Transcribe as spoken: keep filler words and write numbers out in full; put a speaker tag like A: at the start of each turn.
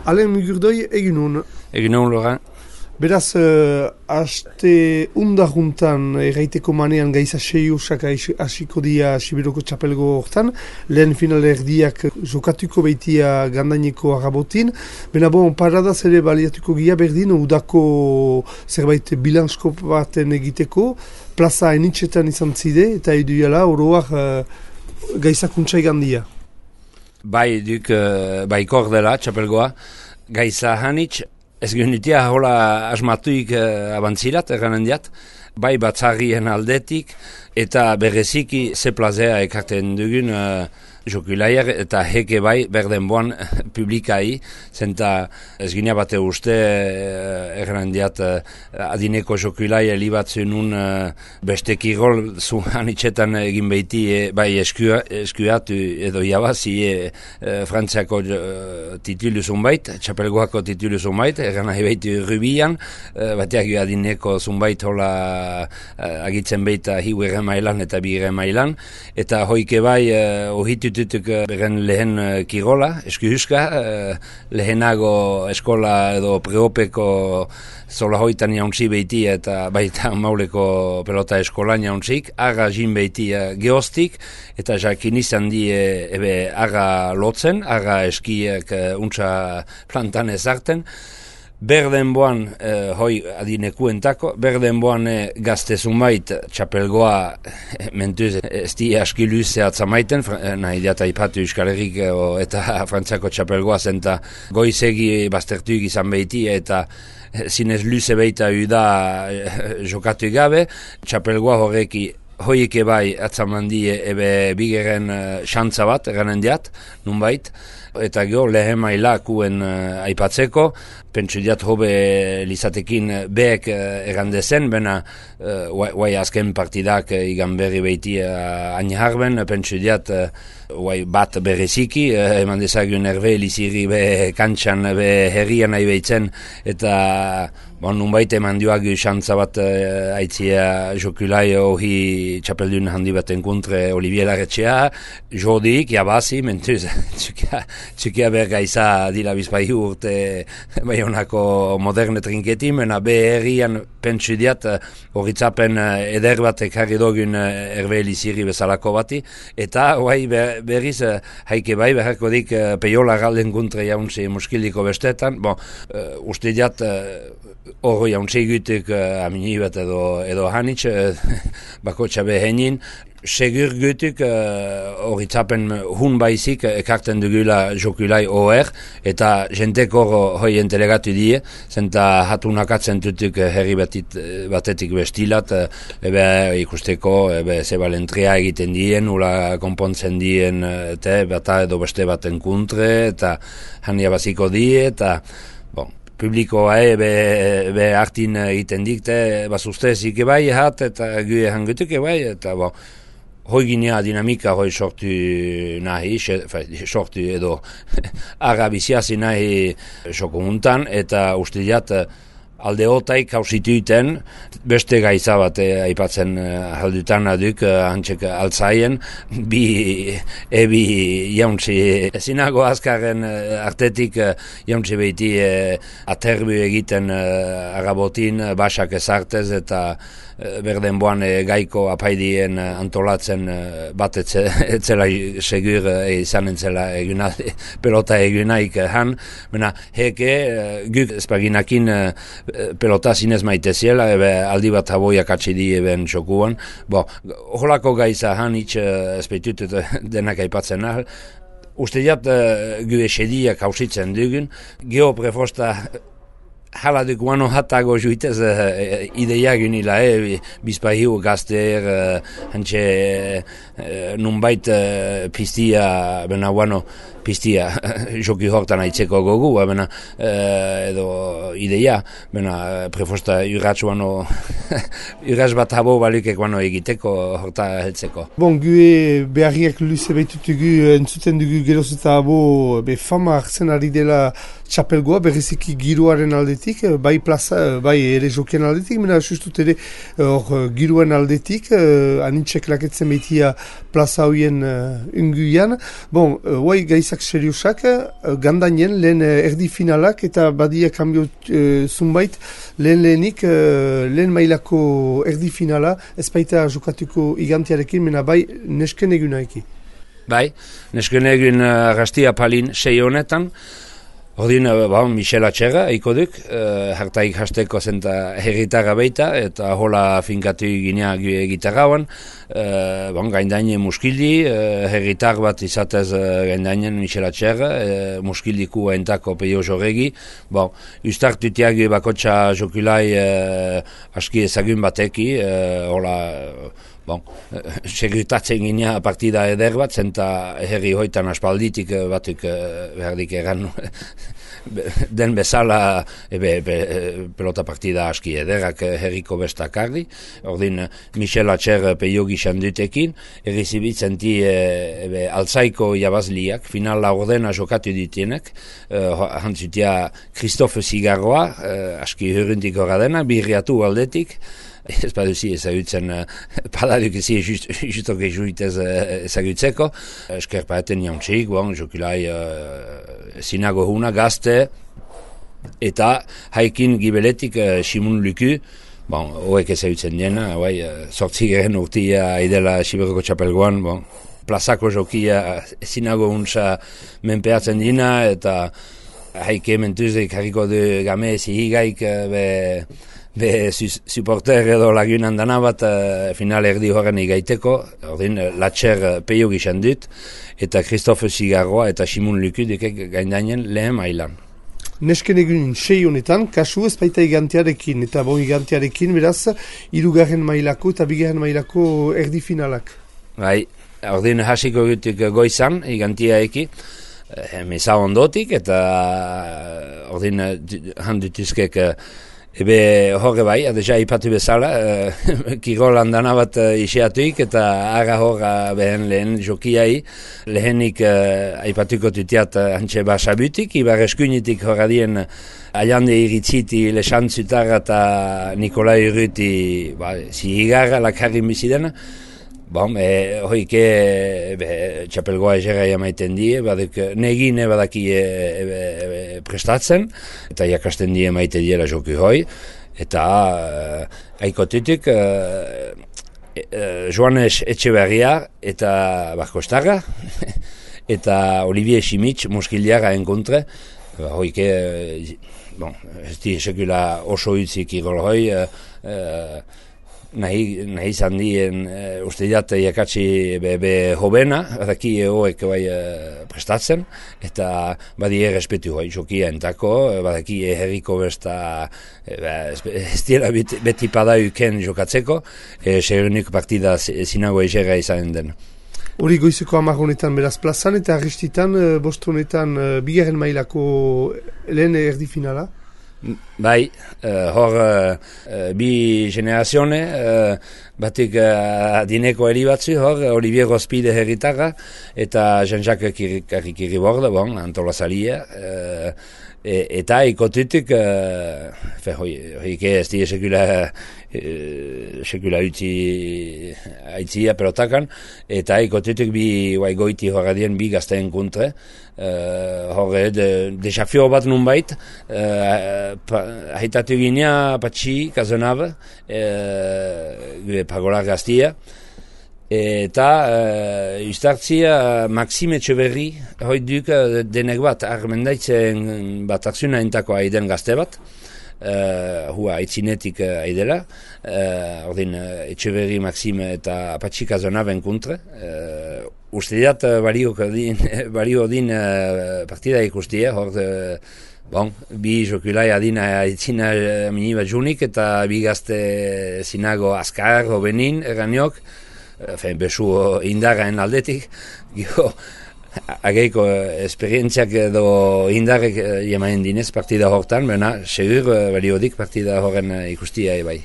A: Alen Mugurdoi, egin hon.
B: Egin hon, Laurent.
A: Beraz, uh, aste undaruntan erraiteko manean gaiza sei usak hasiko dia Sibiroko txapelgo hortan. Lehen final erdiak jokatuko beitia gandaineko agabotin. Bena bon, paradaz ere baliatuko gia berdin, udako zerbait bilansko baten egiteko. Plaza enitxetan izan zide, eta eduiala oroak uh, gaizakuntzai gandia.
B: Bai, duk, uh, bai kordela txapelgoa. Gaiza hanitz, ez gynitia hola asmatuik uh, abantzirat, erranen diat, bai batzarrien aldetik, eta bereziki ze plazea ekarten dugun uh, jokulaier, eta heke bai berden boan publikai, zenta ez gynia bate uste uh, erranen diat uh, adineko jokulaier libatzen un uh, beste kirol zu hanitzetan egin behiti e, bai eskua, eskuatu edo jabazi e, e, Frantziako uh, titulu zunbait, txapelgoako titulu zunbait, erran nahi behiti rubian, uh, bateak adineko zunbait hola uh, agitzen behita hiu ere mailan eta bi ere mailan, eta hoike bai uh, ohitututuk uh, beren lehen uh, kirola, eskuhuska, uh, lehenago eskola edo preopeko zola hoitan jauntzi behiti eta baita mauleko pelota eskolan jauntzik, aga jin behiti uh, geostik, eta jakin izan di e, ebe aga lotzen, aga eskiek uh, untsa plantan ezarten. Berden boan, eh, hoi adinekuentako, berden boan eh, gazte zumait txapelgoa eh, mentuz ez di askilu zehatza maiten, eh, nahi diata ipatu Euskal Herrik eh, eta Frantziako txapelgoa zenta goizegi baztertuik izan behiti eta eh, zinez luze behita uda eh, jokatu gabe, txapelgoa horreki hoieke bai atzamandi ebe bigeren xantza bat, eranen diat, nunbait, eta gero lehen mailakuen uh, aipatzeko, pentsu diat hobe lizatekin behek uh, erandezen, bena uh, guai azken partidak uh, igan berri behiti uh, aniharben, pentsu diat uh, guai bat bereziki, uh, eman dezagun erbe liziri be kantxan, be herrian nahi behitzen, eta bon, nunbait eman duagu xantza bat uh, aitzia jokulai hori txapeldun handi bat enkontre Olivier Larretxea, jodik, jabazi, mentuz, txukia, txukia bergaiza dila bizpai urte baionako moderne trinketi, mena be herrian pentsu diat horitzapen uh, eder bat ekarri dogun uh, erbe liziri bezalako bati, eta guai ber, berriz uh, haike bai beharko dik uh, peiola galden kontre jauntzi muskiliko bestetan, bon, uh, uste diat hori uh, jauntzi gutuk uh, amini bat edo, edo hanitz, uh, bako txabe henin, segur gutuk horitzapen uh, hun baizik ekarten dugula jokulai oher, eta jentek hor hoi entelegatu die, zenta hatunakatzen tutuk herri batit, batetik bestilat, ebe ikusteko, ebe zebalentria egiten dien, ula konpontzen dien, eta bata edo beste baten kontre, eta hania baziko die, eta bon, publikoa e, be, be hartin egiten dikte, bazuzte zike bai hat, eta gue hangutuke bai, eta bon, hoi ginea dinamika hoi sortu nahi, sortu edo agabiziazi nahi soko muntan, eta uste diat alde hotaik hausituiten beste gaiza bat eh, aipatzen eh, haldutan aduk eh, hantzek altzaien, bi ebi jauntzi ezinago azkarren eh, artetik eh, jauntzi behiti eh, aterbi egiten eh, agabotin, basak ezartez eta eh, berden boan eh, gaiko apaidien eh, antolatzen eh, bat etze, etzela segur eh, izan entzela eguna, pelota egunaik eh, han, mena heke eh, guk espaginakin eh, pelota zinez maite ziela, ebe aldi bat haboiak atxe di eben txokuan. Bo, holako gaiza han itx espeitut denak aipatzen ahal. Uste jat uh, gu esediak hausitzen dugun. Geo prefosta hala duk guano hatago juitez uh, ideia gunila, eh, bizpahiu gazter, uh, hantxe uh, nunbait uh, pistia, bena guano, pistia, joki hortan aitzeko gogu, bena, uh, edo ideia, bena, prefosta urratxuano, urratx bat habo balukek guano egiteko horta heltzeko.
A: Bon, gue beharriak luze behitutugu entzuten dugu geroz eta habo be fama hartzen ari dela txapelgoa, berriziki giroaren aldetik, bai plaza, bai ere jokien aldetik, mena sustut ere hor giroen aldetik, uh, anintxek laketzen behitia plaza hoien uh, unguian. Bon, uh, guai gaizak gaizak seriusak, gandainen lehen erdi finalak eta badia kambio e, zunbait lehen lehenik lehen mailako erdi finala ez baita jokatuko igantiarekin, mena bai nesken egunaiki.
B: Bai, nesken egun arrastia palin sei honetan, ordin, ba, Michel Atxerra, iko duk, uh, hartaik hasteko zenta herritarra baita, eta hola finkatu ginea gitarrauan, uh, bon, gaindainen muskildi, uh, herritar bat izatez uh, gaindainen Michel Atxerra, uh, muskildiku entako peio jorregi, bon, ustartutiagi bakotxa jokulai uh, aski ezagun bateki, uh, hola, bon, segurtatzen ginea partida eder bat, zenta herri hoitan aspalditik batuk berdik egan den bezala ebe, ebe, pelota partida aski ederak herriko bestakarri. Ordin Michel Atxer peio gixan dutekin, errizibitzen di ebe, altzaiko jabazliak, finala ordena jokatu ditienek, uh, hantzutia Christophe Zigarroa, uh, aski huruntik horra dena, birriatu aldetik, ez baduzi ezagutzen, padaduk ezi justok ezuitez ezagutzeko. Eskerpaeten jantxik, bon, jokulai uh, sinago huna gazte, eta haikin gibeletik uh, Simun Luku, bon, hoek ezagutzen dena, bai, sortzi geren urtia idela Siberoko txapelgoan, bon, plazako jokia sinago huntza menpeatzen dina, eta haike mentuzik harriko du game ezi higaik, be, be supporter edo lagunan dana bat uh, final erdi horren igaiteko, ordin Latxer peio gixan dut, eta Christophe Zigarroa eta Simun Luku dukek gaindainen lehen mailan.
A: Nesken egunin sei honetan, kasu ez baita igantiarekin, eta bon igantiarekin, beraz, hirugarren mailako eta bigarren mailako erdi finalak.
B: Bai, ordin hasiko gutuk goizan, igantia eki, meza ondotik, eta ordin handutuzkek ebe horre bai, adeja ipatu bezala, uh, kirolan dana bat uh, iseatuik, eta ara horra behen lehen jokiai, lehenik uh, aipatuko tutiat uh, hantxe basabutik, ibar eskunitik horra dien aiande iritziti lexantzutar eta Nikolai Urruti ba, zihigarra lakarrin bizidena. Bon, e, hoike e, txapelgoa ezera jamaiten die, baduk negine badaki e, e, e, prestatzen, eta jakasten die maite diela joku hoi, eta e, aikotutuk e, e, Joanes Etxeberria eta Barkostarra, eta Olivier Simitz muskiliara enkontre, ba, hoike, e, bon, ez di sekula oso utzik irol hoi, e, e, Nahi, nahi izan dien uh, uste diat jakatsi be, be hobena, badaki hoek bai uh, prestatzen, eta badi errespetu hoi jokia entako, badaki herriko besta uh, ez dira beti, beti padauken jokatzeko, e, serunik partida zinago ezera izan den.
A: Hori goizeko hamar honetan beraz plazan, eta arristitan uh, bost honetan uh, bigarren mailako lehen erdi finala?
B: Bai, uh, hor uh, bi generazione, uh, batik uh, adineko eri batzu, hor Olivier Rospide herritarra, eta Jean-Jacques Kirriborda, bon, antolazalia, uh, e, eta ikotutik, uh, hoike ez die sekula, uh, sekula utzi aitzia pelotakan, eta ikotutik bi guai goiti horradien bi gazteen kontre, Uh, horre, de, desafio bat nunbait, uh, haitatu ginea Patxi, Kazonabe, uh, pagolar gaztia, eta uh, ustartzia Maxime Etxeberri, hoi duk uh, denek bat, armendaitzen bat aksuna entako aiden gazte bat, Uh, hua aitzinetik uh, aidela, uh, ordin uh, Etxeberri, Maxime eta Patxi Kazonaben kontre, uh, uste diat uh, balio din, balio din uh, partida ikustia, hor uh, bon, bi jokulai adina aitzina uh, minibat junik eta bi gazte zinago azkar, hobenin, eraniok, uh, besu indarraen aldetik, gio, ageiko esperientziak edo indarrek jemaen dinez partida hortan, baina segur baliodik partida horren ikustia bai.